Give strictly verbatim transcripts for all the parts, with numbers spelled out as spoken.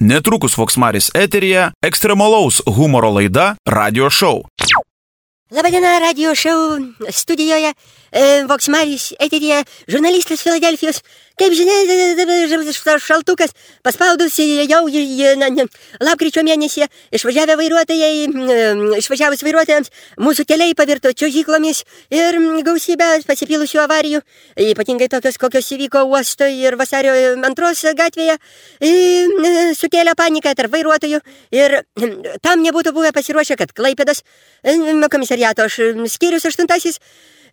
Netrukus Voksmaris eteryje ekstremalaus humoro laida Radio Show. Labadiena, Radio Show studijoje, e, Voksmaris eteryje, žurnalistas Filadelfijos. Kaip žinia, šaltukas paspaudus jau na, na, lapkričio mėnesį išvažiavę vairuotojai, išvažiavus vairuotojams, mūsų keliai pavirto čiuožyklomis ir gausybę pasipylusių avarijų, ypatingai tokios, kokios įvyko Uosto ir Vasario antros gatvėje, sukėlė paniką tarp vairuotojų ir tam nebūtų buvę pasiruošę, kad Klaipėdos komisariato skyrius aštuntasis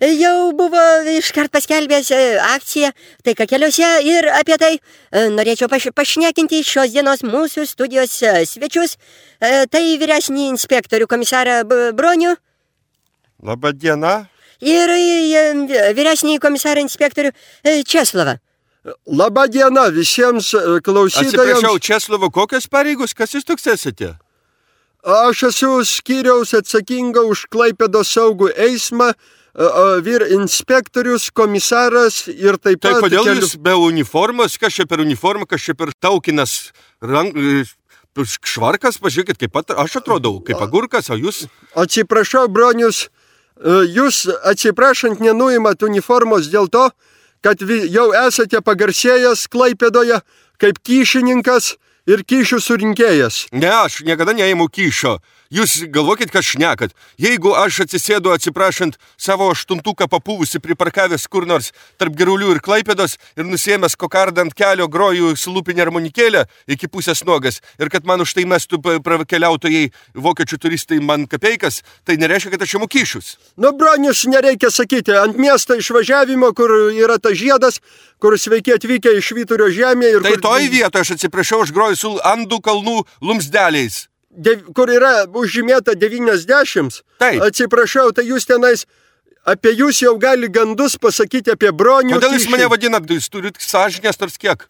jau buvo iškart paskelbęs akciją taika keliuose ir apie tai norėčiau paš pašnekinti šios dienos mūsų studijos svečius. Tai vyresnį inspektorių komisarą Bronių. Labą dieną. Ir vyresnį komisarą inspektorių Česlovą. Labą dieną visiems klausytojams. Atsiprašau, Česlovo, kokios pareigos, kas jūs toks esate? Aš esu skyriaus atsakinga už Klaipėdos saugų eismą, vyr inspektorius, komisaras ir taip pat... Tai kodėl kelių... jūs be uniformos, kas čia per uniformą, kas čia per taukinas rank... švarkas, pažiūrėkit, kaip pat aš atrodau, kaip agurkas, o jūs... Atsiprašau, Bronius, jūs atsiprašant nenuimat uniformos dėl to, kad jau esate pagarsėjęs Klaipėdoje kaip kyšininkas ir kyšių surinkėjas. Ne, aš niekada neimu kyšio. Jūs galvokit, kad šnekat. Jeigu aš atsisėdu atsiprašant savo aštuntuką papūvusi priparkavęs kur nors tarp Girulių ir Klaipėdos ir nusiėmęs kokardą ant kelio groju sulupinę armonikėlę iki pusės nuogas ir kad man už tai mestų keliautojai vokiečių turistai man kapeikas, tai nereiškia, kad aš imu kyšius. Nu, Bronius, nereikia sakyti, ant miesto išvažiavimo, kur yra tas žiedas, kur sveiki atvykę iš Vyturio žemė ir... Tai kur... toj vietoje, aš atsiprašau, aš groju su Andų kalnų lumsdeliais. De, kur yra užžymėta devyniasdešimt, Taip. Atsiprašau, tai jūs tenais, apie jūs jau gali gandus pasakyti apie Bronių. Kodėl jūs kyšį. mane vadinat, jūs turit sąžinės tars kiek?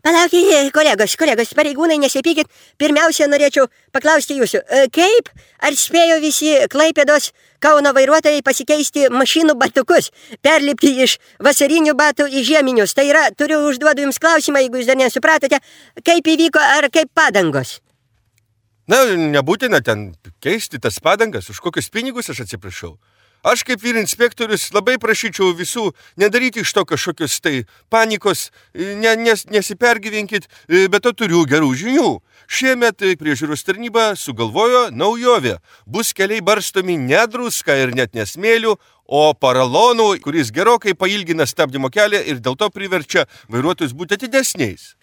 Palaukite, kolegos, kolegos, pareigūnai, nesipykit. Pirmiausia, norėčiau paklausti jūsų, kaip ar spėjo visi Klaipėdos Kauno vairuotojai pasikeisti mašinų batukus, perlipti iš vasarinių batų į žieminius. Tai yra, turiu užduodu jums klausimą, jeigu jūs dar nesupratote, kaip įvyko ar kaip padangos. Na, nebūtina ten keisti tas padangas, už kokius pinigus aš atsiprašau. Aš kaip vyr inspektorius labai prašyčiau visų nedaryti iš to kažkokios tai panikos, ne, nes, nesipergyvenkit, bet to turiu gerų žinių. Šiemet priežiūros tarnyba sugalvojo naujovę. Bus keliai barstomi ne druska ir net nesmėlių, o paralonų, kuris gerokai pailgina stabdymo kelią ir dėl to priverčia vairuotojus būti atidesniais.